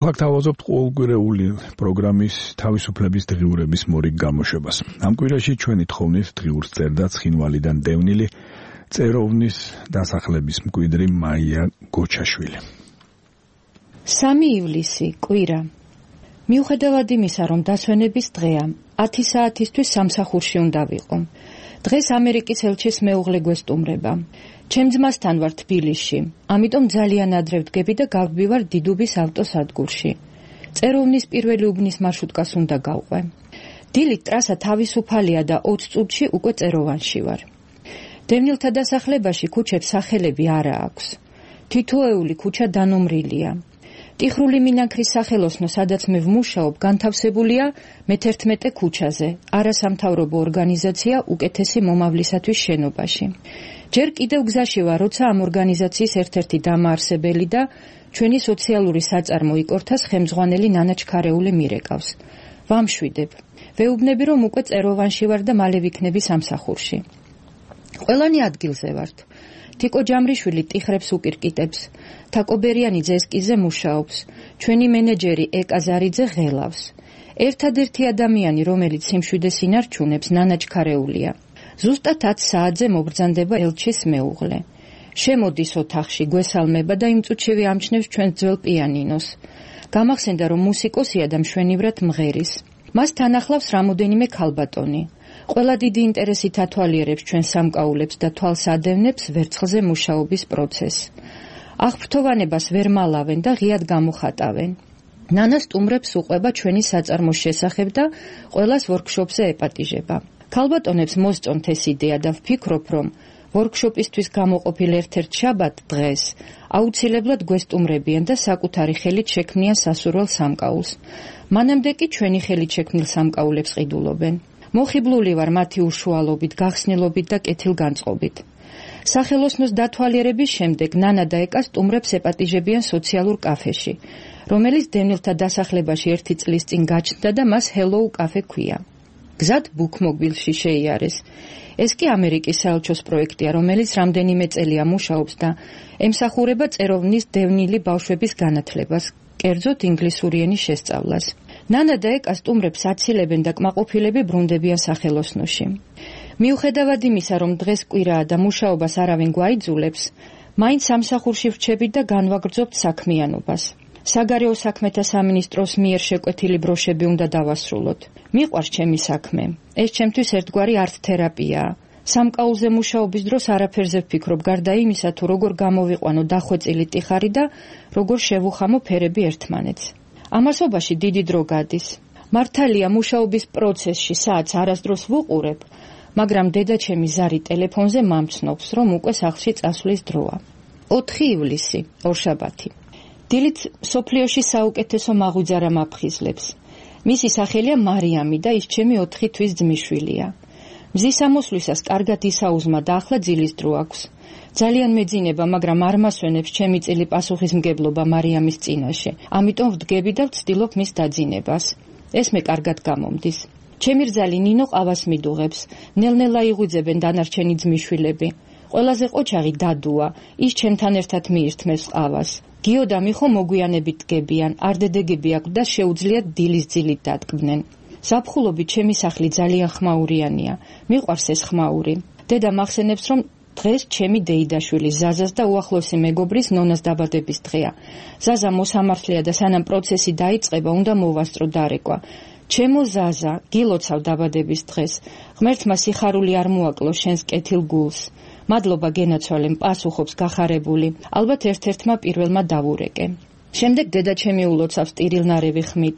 Გვთავაზობთ ყოველკვირეული პროგრამის თავისუფლების დღიურების მორიგ გამოშვებას. Ამ კვირაში ჩვენი თხოვნით დღიურს წერდა ცხინვალიდან დევნილი წეროვნის დასახლების მკვიდრი მაია გოჩაშვილი. 3 ივლისი, კვირა. მიუხედავად იმისა, რომ დასვენების დღეა, 10 საათისთვის სამსახურში უნდა ვიყო. დღეს ამერიკის ელჩის მეუღლე გვესტუმრება. ჩემ ძმასთან ვარ თბილისში, ამიტომ ძალიან ადრე ვდგები და გავდივარ დიდუბის ავტოსადგურში. წეროვნის პირველი უბნის მარშრუტკას უნდა გავყვე. დილით ტრასა თავისუფალია და 20 წუთში უკვე წეროვანში ვარ. დევნილთა დასახლებაში ქუჩებს სახელები არა აქვს. თითოეული ქუჩა დანომრილია. ტიხრული მინანქრის სახელოსნო, სადაც მე ვმუშაობ, განთავსებულია მე-11 ქუჩაზე, არასამთავრობო ორგანიზაცია უკეთესი მომავლისათვის შენობაში. ჯერ კიდევ გზაში ვარ, როცა ამ ორგანიზაციის ერთ-ერთი დამაარსებელი და ჩვენი სოციალური საწარმო იკორთას ხელმძღვანელი ნანა ჩქარეული მირეკავს. ვამშვიდებ. ვეუბნები, რომ უკვე წეროვანში ვარ და მალე ვიქნები სამსახურში. ყველანი ადგილზე ვართ. თიკო ჯამრიშვილი ტიხრებს უკირკიტებს, თაკობერიანი ძესკიზე მუშაობს, ჩვენი მენეჯერი ეკა ზარიძე ღელავს. ერთადერთი ადამიანი, რომელიც სიმშვიდეს ინარჩუნებს, ნანა ჩქარეულია. ზუსტად 10 საათზე მობრძანდება ელჩის მეუღლე. შემოდის ოთახში, გვესალმება და იმ წუთშივე ამჩნევს ჩვენს ძველ პიანინოს. გამახსენდა, რომ მუსიკოსია და მშვენივრად მღერის. მას თან ახლავს რამოდენიმე ქალბატონი. ყველა დიდი ინტერესით ათვალიერებს ჩვენ სამკაულებს და თვალს ადევნებს ვერცხლზე მუშაობის პროცესს. აღფრთოვანებას ვერ მალავენ და ღიად გამოხატავენ. ნანა სტუმრებს უყვება ჩვენი საწარმოს შესახებ და ყველას ვორქშოპზე ეპატიჟება. ქალბატონებს მოსწონთ ეს იდეა და ვფიქრობ, რომ ვორქშოპისთვის გამოყოფილ ერთ-ერთ შაბათ დღეს აუცილებლად გვესტუმრებიან და საკუთარი ხელით შექმნიან სასურველ სამკაულს. მანამდე კი ჩვენი ხელით შექმნილ სამკაულებს ყიდულობენ. მოხიბლული ვარ მათი უშუალობით, გახსნილობით და კეთილგანწყობით. სახელოსნოს დათვალიერების შემდეგ ნანა და ეკა სტუმრებს ეპატიჟებიან სოციალურ კაფეში, რომელიც დევნილთა დასახლებაში 1 წლის წინ გაჩნდა და მას Hello Cafe ქვია. გზად ბუქმობილში შეიარეს. ეს კი ამერიკის საელჩოს პროექტია, რომელიც რამდენიმე წელია მუშაობს და ემსახურება წეროვნის დევნილი ბავშვების განათლებას, კერძოდ ინგლისური ენის შესწავლას. ნანა და ეკა სტუმრებს აცილებენ და კმაყოფილები ბრუნდებიან სახელოსნოში. მიუხედავად იმისა, რომ დღეს კვირაა და მუშაობას არავინ გვაიძულებს, მაინც სამსახურში ვრჩებით და განვაგრძობთ საქმიანობას. საგარეო საქმეთა სამინისტროს მიერ შეკვეთილი ბროშები უნდა დავასრულოთ. მიყვარს ჩემი საქმე. ეს ჩემთვის ერთგვარი არტ-თერაპიაა. სამკაულზე მუშაობის დროს არაფერზე ვფიქრობ, გარდა იმისა, თუ როგორ გამოვიყვანო დახვეწილი ტიხარი და როგორ შევუხამო ფერები ერთმანეთს. ამასობაში დიდი დრო გადის. მართალია მუშაობის პროცესში საათს არასდროს ვუყურებ, მაგრამ დედაჩემი ზარი ტელეფონზე მამცნობს, რომ უკვე სახლში წასვლის დროა. 4 ივლისი, ორშაბათი. დილით სოფლიოში საუკეთესო მაღვიძარა მაფხიზლებს. მისი სახელია მარიამი და ის ჩემი 4 თვის ძმისშვილია. მზის ამოსვლისას კარგად ისაუზმა და ახლა ძილის დრო აქვს. ძალიან მეძინება, მაგრამ არ მასვენებს ჩემი წილი პასუხისმგებლობა მარიამის წინაშე. ამიტომ ვდგები და ვცდილობ მის დაძინებას. ეს მე კარგად გამომდის. ჩემი რძალი ნინო ყავას მიდუღებს. ნელ-ნელა იღვიძებენ დანარჩენი ძმისშვილები. ყველაზე ყოჩაღი დადუა, ის ჩემთან ერთად მიირთმევს ყავას. გიო და მიხო მოგვიანებით დგებიან, არდედეგები აქვს და შეუძლიათ დილის ძილით დადგმდნენ. ზაფხულობით ჩემი სახლი ძალიან ხმაურიანია. მიყვარს ეს ხმაური. დედა მახსენებს, რომ დღეს ჩემი დეიდაშვილი ზაზას და უახლოესი მეგობრის ნონას დაბადების დღეა. ზაზა მოსამართლეა და სანამ პროცესი დაიწყება, უნდა მოვასწრო დარეკვა. ჩემო ზაზა, გილოცავ დაბადების დღეს. ღმერთმა სიხარული არ მოაკლო შენს კეთილ გულს. მადლობა გენაცვალემ, პასუხობს გახარებული. ალბათ ერთ-ერთმა პირველმა დავურეკე. შემდეგ დედა ჩემი ულოცავს ტირილნარევი ხმით.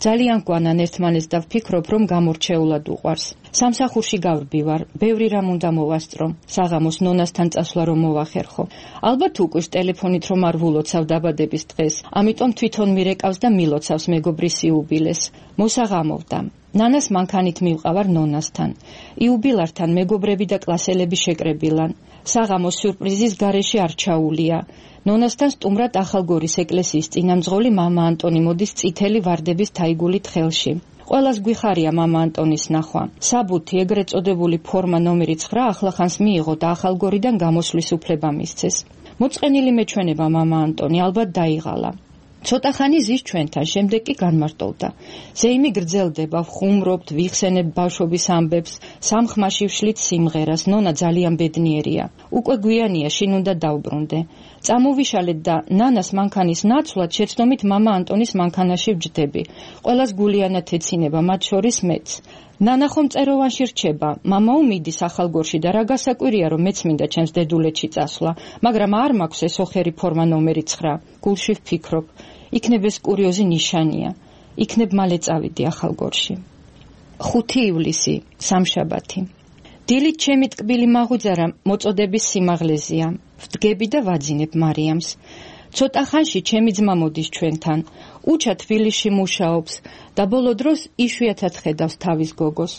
ძალიან გვანან ერთმანეთს და ვფიქრობ, რომ გამორჩეულად უყვარს. სამსახურში გავრბივარ, ბევრი რამ უნდა მოვასწრო. საღამოს ნონასთან წასვლა რომ მოვახერხო. ალბათ უკვირს ტელეფონით რომ არ ვულოცავ დაბადების დღეს, ამიტომ თვითონ მირეკავს და მილოცავს მეგობრის იუბილეს. მოსაღამოვდა. ნანას მანქანით მივყავარ ნონასთან. იუბილართან მეგობრები და კლასელები შეკრებილან. საღამოს სიურპრიზის გარეშე არ ჩაულია. ნონასთან სტუმრად ახალგორის ეკლესიის წინამძღოლი მამა ანტონი მოდის წითელი ვარდების თაიგულით ხელში. ყველას გვიხარია მამა ანტონის ნახვა. საბუთი ეგრეთ წოდებული ფორმა ნომერი 9 ახლახანს მიიღო და ახალგორიდან გამოსვლის უფლება მისცეს. მოწყენილი მეჩვენება მამა ანტონი ალბათ დაიღალა. ცოტა ხანი ზის ჩვენთან, შემდეგ კი განმარტოვდა. ზეიმი გრძელდება, ვხუმრობთ, ვიხსენებ ბავშვობის ამბებს, სამხმაში ვშლით სიმღერას, ნონა ძალიან ბედნიერია. უკვე გვიანია, შინ უნდა დავბრუნდე. წამოვიშალეთ და ნანას მანქანის ნაცვლად შეცდომით მამა ანტონის მანქანაში ვჯდები. ყველას გულიანად ეცინება, მათ შორის მეც. ნანა ხომ წეროვანში რჩება, მამაო მიდის ახალგორში და რა გასაკვირია, რომ მეც მინდა ჩემს დედულეთში წასვლა, მაგრამ არ მაქვს ეს ოხერი ფორმა ნომერი 9. გულში ვფიქრობ, იქნებ ეს კურიოზი ნიშანია. იქნებ მალე წავიდი ახალგორში. 5 ივლისი, სამშაბათი. დილით ჩემი ტკბილი მაღვიძარა მოწოდების სიმაღლეზეა. ვდგები და ვაძინებ მარიამს. ცოტა ხანში ჩემი ძმა მოდის ჩვენთან. უჩა თბილისში მუშაობს და ბოლო დროს იშვიათად ხედავს თავის გოგოს.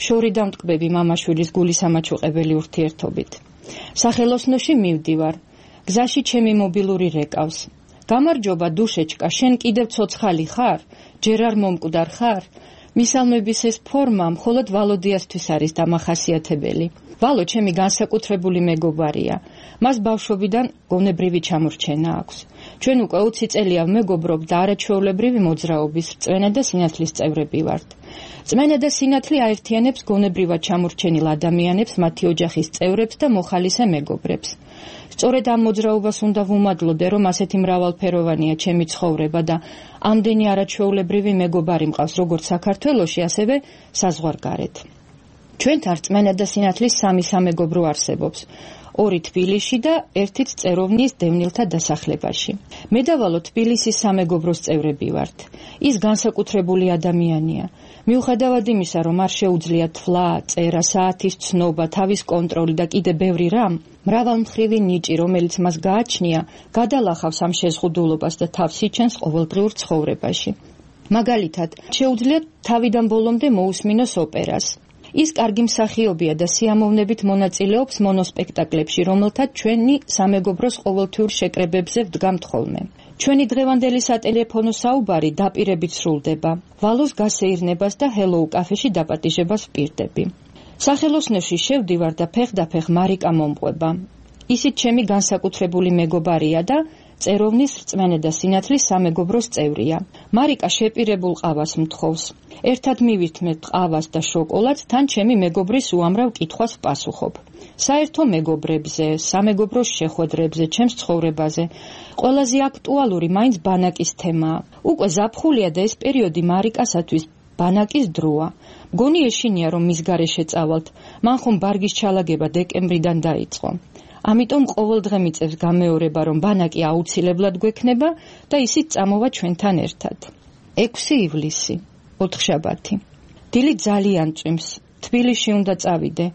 შორი დამტკბები მამაშვილის გულისამაჩუყებელი ურთიერთობით. სახელოსნოში მივდივარ. გზაში ჩემი მობილური რეკავს. გამარჯობა დუშეჩკა, შენ კიდევ ცოცხალი ხარ? ჯერ არ მომკვდარ ხარ? მისალმების ეს ფორმა მხოლოდ ვალოდიასთვის არის დამახასიათებელი. ვალო ჩემი განსაკუთრებული მეგობარია. მას ბავშვობიდან გონებრივი ჩამორჩენა აქვს. ჩვენ უკვე 20 წელია ვმეგობრობ და არაჩვეულებრივი მოძრაობის რწმენა და სინათლის წევრები ვართ. რწმენა და სინათლე აერთიანებს გონებრივად ჩამორჩენილ ადამიანებს, მათი ოჯახის წევრებს და მოხალისე მეგობრებს. სწორედ ამ მოძრაობას უნდა ვუმადლოდე, რომ ასეთი მრავალფეროვანია ჩემი ცხოვრება და ამდენი არაჩვეულებრივი მეგობარი მყავს როგორც საქართველოში, ასევე საზღვარგარეთ. ჩვენთან რწმენა და სინათლის 3 სამეგობრო არსებობს. 2 თბილისში და 1 წეროვნის დევნილთა დასახლებაში. მე და ვალო თბილისის სამეგობროს წევრები ვართ. ის განსაკუთრებული ადამიანია. მიუხედავად იმისა, რომ არ შეუძლია თვლა, წერა, საათის ცნობა, თავის კონტროლი და კიდე ბევრი რამ, მრავალმხრივი ნიჭი, რომელიც მას გააჩნია, გადალახავს ამ შეზღუდულობას და თავს იჩენს ყოველდღიურ ცხოვრებაში. მაგალითად, შეუძლია თავიდან ბოლომდე მოусმინოს ოპერას. ის კარგი მსახიობია და სიამოვნებით მონაწილეობს მონოსპექტაკლებში, რომელთაც ჩვენი სამეგობროს ყოველთვიურ შეკრებებზე ვდგამთ ხოლმე. ჩვენი დღევანდელი სატელეფონო საუბარი დაპირებით სრულდება. ვალოს გასეირნებას და ჰელოუ კაფეში დაპატიჟებას ვპირდები. სახელოსნოში შევდივარ და ფეხდაფეხ მარიკა მომყვება. ისიც ჩემი განსაკუთრებული მეგობარია და წეროვნის რწმენა და სინათლის სამეგობროს წევრია. მარიკა შეპირებულ ყავას მთხოვს. ერთად მივირთმევთ ყავას და შოკოლადს, თან ჩემი მეგობრის უამრავ კითხვას ვპასუხობ. საერთო მეგობრებზე, სამეგობროს შეხვედრებზე, ჩემს ცხოვრებაზე. ყველაზე აქტუალური მაინც ბანაკის თემაა. უკვე ზაფხულია და ეს პერიოდი მარიკასათვის ბანაკის დროა. მგონი ეშინია, რომ მის გარეშე წავალთ. მან ხომ ბარგის ჩალაგება დეკემბრიდან დაიწყო. ამიტომ ყოველდღე მიწევს გამეორება, რომ ბანაკი აუცილებლად გვექნება და ისიც წამოვა ჩვენთან ერთად. 6 ივლისი, ოთხშაბათი. დილით ძალიან წვიმს. თბილისში უნდა წავიდე.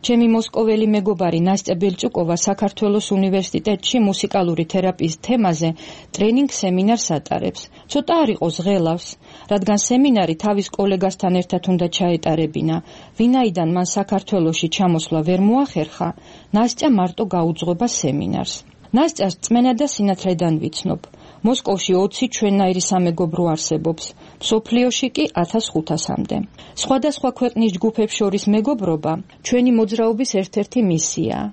ჩემი მოსკოველი მეგობარი ნასტია ბელჭუკოვა საქართველოს უნივერსიტეტში მუსიკალური თერაპიის თემაზე ტრენინგ სემინარს ატარებს. ცოტა არ იყოს ღელავს, რადგან სემინარი თავის კოლეგასთან ერთად უნდა ჩაეტარებინა. ვინაიდან მან საქართველოში ჩამოსვლა ვერ მოახერხა, ნასტია მარტო გაუძღვება სემინარს. ნასტიას რწმენა და სინათლედან ვიცნობ. მოსკოვში 20 ჩვენნაირი სამეგობრო არსებობს, მსოფლიოში კი 1500-მდე. სხვადასხვა ქვეყნის ჯგუფებს შორის მეგობრობა ჩვენი მოძრაობის ერთ-ერთი მისიაა.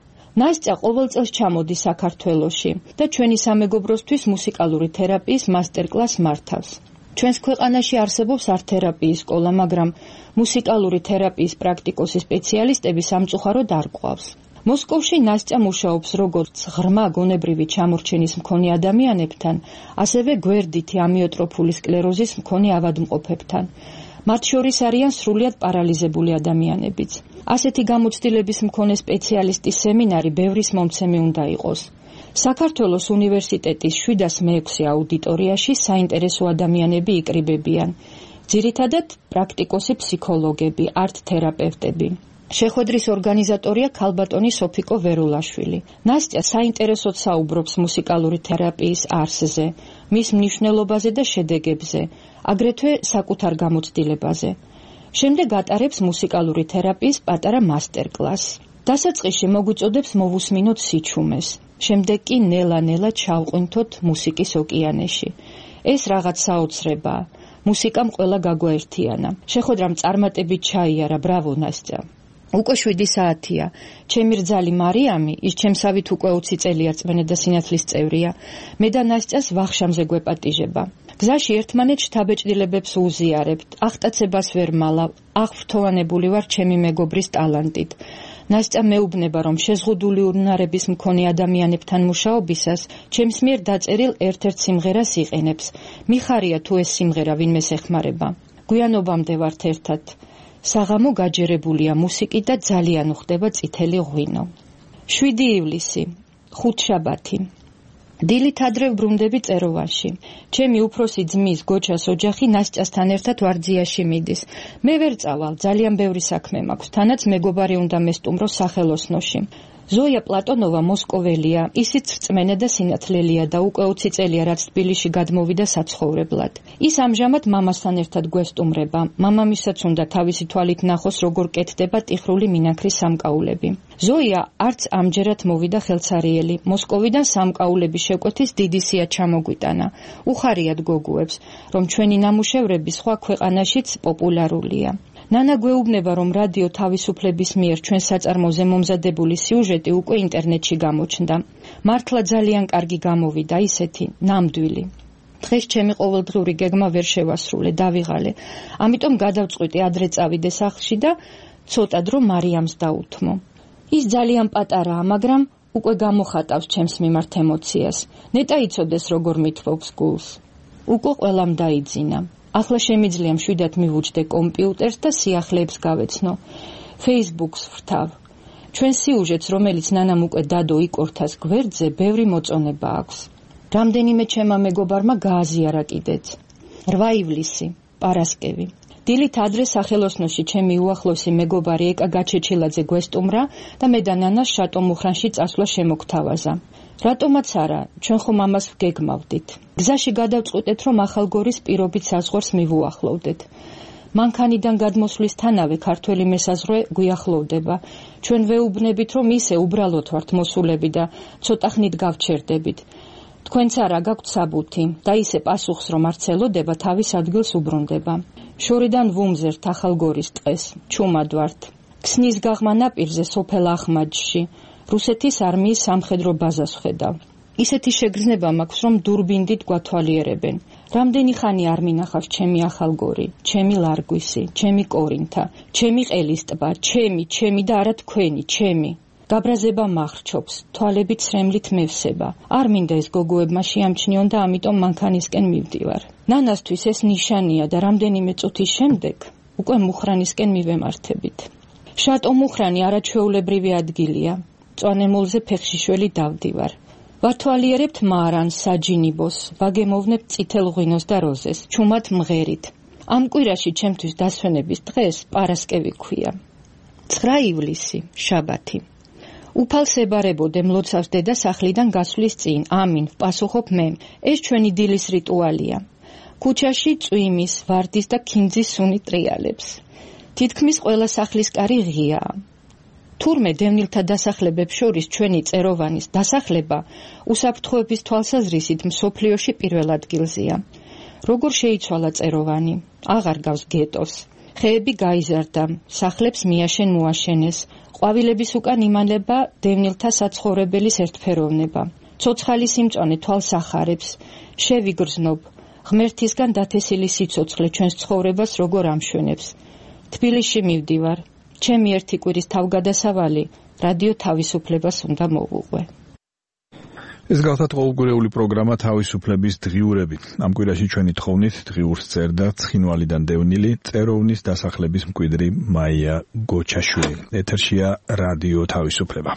ნასტია ყოველ წელს ჩამოდის საქართველოში და ჩვენი სამეგობროსთვის მუსიკალური თერაპიის მასტერკლასს მართავს. ჩვენს ქვეყანაში არსებობს არტ-თერაპიის სკოლა, მაგრამ მუსიკალური თერაპიის პრაქტიკოსი სპეციალისტები სამწუხაროდ არ გვყავს. მოსკოვში ნასტია მუშაობს როგორც ღრმა გონებრივი ჩამორჩენის მქონე ადამიანებთან, ასევე გვერდითი ამიოტროფული სკლეროზის მქონე ავადმყოფებთან. მათ შორის არიან სრულიად პარალიზებული ადამიანებიც. ასეთი გამოცდილების მქონე სპეციალისტის სემინარი ბევრის მომცემი უნდა იყოს. საქართველოს უნივერსიტეტის 706 აუდიტორიაში საინტერესო ადამიანები იკრიბებიან. ძირითადად პრაქტიკოსი ფსიქოლოგები, არტ-თერაპევტები. შეხვედრის ორგანიზატორია ქალბატონი სოფიკო ვერულაშვილი. ნასტია საინტერესოდ საუბრობს მუსიკალური თერაპიის არსზე, მის მნიშვნელობაზე და შედეგებზე, აგრეთვე საკუთარ გამოცდილებაზე. შემდეგ ატარებს მუსიკალური თერაპიის პატარა მასტერკლასს. დასაწყისში მოგვიწოდებს მოვუსმინოთ სიჩუმეს. შემდეგ კი ნელა-ნელა ჩავყვინთოთ მუსიკის ოკეანეში. ეს რაღაც საოცრებაა. მუსიკამ ყველა გაგვაერთიანა. შეხვედრამ წარმატებით ჩაიარა, ბრავო ნასტია. უკვე 7 საათია. ჩემი რძალი მარიამი, ის ჩემსავით უკვე 20 წელია წმენდა და სინათლის წევრია. მე და ნასტიას ვახშამზე გვეპატიჟება. გზაში ერთმანეთს შთაბეჭდილებებს უზიარებთ. აღტაცებას ვერ მალავ, აღფრთოვანებული ვარ ჩემი მეგობრის ტალანტით. ნასტია მეუბნება, რომ შეზღუდული უნარების მქონე ადამიანებთან მუშაობისას ჩემს მიერ დაწერილ ერთ-ერთ სიმღერას იყენებს. მიხარია თუ ეს სიმღერა ვინმეს ეხმარება. გვიანობამდე ვართ ერთად. საღამო გაჯერებულია მუსიკით და ძალიან უხდება წითელი ღვინო. 7 ივლისი, ხუთშაბათი. დილით ადრე ვბრუნდები წეროვანში. ჩემი უფროსი ძმის გოჩას ოჯახი ნასტიასთან ერთად ვარძიაში მიდის. მე ვერ წავალ, ძალიან ბევრი საქმე მაქვს, თანაც მეგობარი უნდა მესტუმრო სახელოსნოში. ზოია პლატონოვა მოსკოველია, ისიც რწმენა და სინათლელია და უკვე 20 წელია რაც თბილისში გადმოვიდა საცხოვრებლად. ის ამჟამად მამასთან ერთად გვესტუმრება. მამამისაც უნდა თავისი თვალით ნახოს, როგორ კეთდება ტიხრული მინაქრის სამკაულები. ზოია არც ამჯერად მოვიდა ხელცარიელი. მოსკოვიდან სამკაულების შეკვეთის დიდი სია ჩამოგვიტანა. უხარიათ გოგუებს, რომ ჩვენი ნამუშევრები სხვა ქვეყანაშიც პოპულარულია. ნანა გვეუბნება, რომ რადიო თავისუფლების მიერ ჩვენ საწარმოზე მომზადებული სიუჟეტი უკვე ინტერნეტში გამოჩნდა. მართლა ძალიან კარგი გამოვიდა, ისეთი ნამდვილი. დღეს ჩემი ყოველდღიური გეგმა ვერ შევასრულე, დავიღალე. ამიტომ გადავწყვიტე ადრე წავიდე სახლში და ცოტა დრო მარიამს დაუთმო. ის ძალიან პატარაა, მაგრამ უკვე გამოხატავს ჩემს მიმართ ემოციას. ნეტა იცოდეს, როგორ მithბობს გულს. უკვე ყველამ დაიძინა. ახლა შემიძლია მშვიდად მივუჯდე კომპიუტერს და სიახლეებს გავეცნო. Facebook-ს ვრთავ. ჩვენ სიუჟეტს, რომელიც ნანამ უკვე დადო იკორთას გვერდზე, ბევრი მოწონება აქვს. რამდენიმე ჩემმა მეგობარმა გააზიარა კიდეც. 8 ივლისი, პარასკევი. დილით ადრე სახელოსნოში ჩემი უახლოსი მეგობარი ეკა გაჩეჩილაძე გვესტუმრა და მე და ნანა შატო მუხრანში წასვლა შემოგთავაზა. რატომაც არა, ჩვენ ხომ ამას ვგეგმავდით. გზაში გადავწყვიტეთ, რომ ახალგორის პირობით საზღვარს მივუახლოვდეთ. მანქანიდან გადმოსვლისთანავე ქართველი მესაზღვრე გვიახლოვდება. ჩვენ ვეუბნებით, რომ ისე უბრალოდ ვართ მოსულები და ცოტა ხნით გავჩერდებით. თქვენც არა გაქვთ საბუთი და ისე პასუხს რომ არ ცელოდება, თავის ადგილს უბრუნდება. შორიდან ვუმზერთ ახალგორის ტყეს, ჩუმად ვართ. ქსნის გაღმა ნაპირზე სოფელ ახმაჯში. რუსეთის არმიის სამხედრო ბაზას ხედავ. ისეთი შეგრძნება მაქვს, რომ დურბინდით გვათვალიერებენ. რამდენი ხანი არ მინახავს ჩემი ახალგორი, ჩემი ლარგვისი, ჩემი კორინთა, ჩემი ყელის ტბა, ჩემი და არა თქვენი, ჩემი. გაბრაზება მახრჩობს, თვალებით ცრემლით მევსება. არ მინდა ეს გოგოებმა შეამჩნიონ და ამიტომ მანქანისკენ მივდივარ. ნანასთვის ეს ნიშანია და რამდენიმე წუთის შემდეგ უკვე მუხრანისკენ მივემართებით. შატო მუხრანი არაჩვეულებრივი ადგილია. წვანემულზე ფეხშიშველი დავდივარ. ვართვალიერებთ მარანს, საჯინიბოს, ვაგემოვნებთ წითელ ღვინოს და როზეს, ჩუმად მღერით. ამ კვირაში ჩემთვის დასვენების დღეს პარასკევი ქვია. 9 ივლისი, შაბათი. უფალს ებარებოდე მლოცავს დედა სახლიდან გასვლის წინ. ამინ, ვპასუხობ მე. ეს ჩვენი დილის რიტუალია. ქუჩაში წვიმის, ვარდის და ქინძის სუნი ტრიალებს. თითქმის ყველა სახლის კარი ღიაა. თურმე დევნილთა დასახლებებს შორის ჩვენი წეროვანის დასახლება უსაფრთხოების თვალსაზრისით მსოფლიოში პირველ ადგილზეა. როგორ შეიცვალა წეროვანი? აღარ გავს გეტოს. ხეები გაიზარდა, სახლებს მიაშენ მოაშენეს. ყვავილების უკან იმალება დევნილთა საცხოვრებელის ერთფეროვნება. ცოცხალი სიმწვანე თვალს ახარებს. შევიგრძნობ, ღმერთისგან დათესილი სიცოცხლე ჩვენს ცხოვრებას როგორ ამშვენებს. თბილისში მივდივარ. ჩემი ერთი კვირის თავგადასავალი რადიო თავისუფლებას უნდა მოვუყვე. ეს გახლავთ ყოველკვირეული პროგრამა თავისუფლების დღიურები. ამ კვირაში ჩვენი თხოვნით დღიურს წერდა ცხინვალიდან დევნილი წეროვნის დასახლების მკვიდრი მაია გოჩაშვილი. ეთერშია რადიო თავისუფლება.